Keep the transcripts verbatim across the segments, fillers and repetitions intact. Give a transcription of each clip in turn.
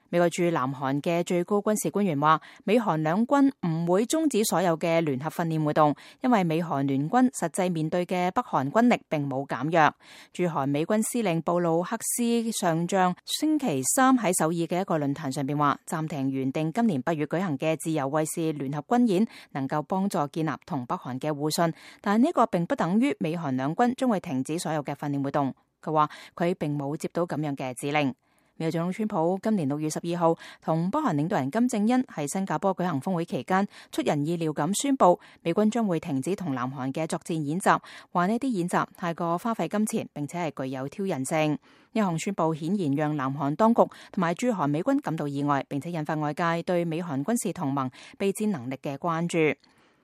美國駐南韓嘅最高軍事官員話，美韓兩軍唔會終止所有嘅聯合訓練活動，因為美韓聯軍實際面對嘅北韓軍力並冇減弱。駐韓美軍司令布魯克斯上將星期三喺首爾嘅一個論壇上邊話，暫停原定今年八月舉行嘅自由衛士聯合軍演，能夠幫助建立同北韓嘅互信，但呢個並不等於美韓兩軍將會停止所有嘅訓練活動。佢話佢並冇接到咁樣嘅指令。美國總統川普今年六月十二號同北韓領導人金正恩喺新加坡舉行峰會期間，出人意料咁宣布美軍將會停止同南韓嘅作戰演習，話呢啲演習太過花費金錢，並且係具有挑釁性。呢項宣布顯然讓南韓當局同埋駐韓美軍感到意外，並且引發外界對美韓軍事同盟備戰能力嘅關注。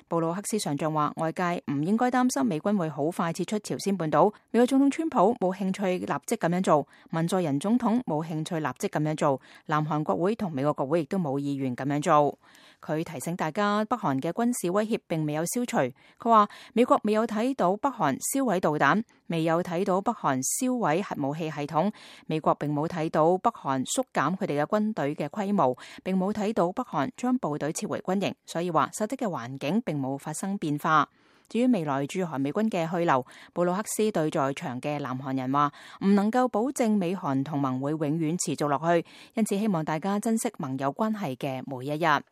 布魯克斯上將話，外界唔應該擔心美軍會好快撤出朝鮮半島。美國總統川普冇興趣立即咁樣做，文在寅總統冇興趣立即咁樣做，南韓國會同美國國會亦都冇意願咁樣做。佢提醒大家，北韓嘅軍事威脅並未有消除。佢話美國未有睇到北韓銷毀導彈，未有睇到北韓銷毀核武器系統，美國並冇睇到北韓縮減佢哋嘅軍隊嘅規模，並冇睇到北韓將部隊撤回軍營，所以話實際嘅環境並冇發生變化。至於未來駐韓美軍嘅去留，布魯克斯對在場嘅南韓人話，唔能夠保證美韓同盟會永遠持續落去，因此希望大家珍惜盟友關係嘅每一日。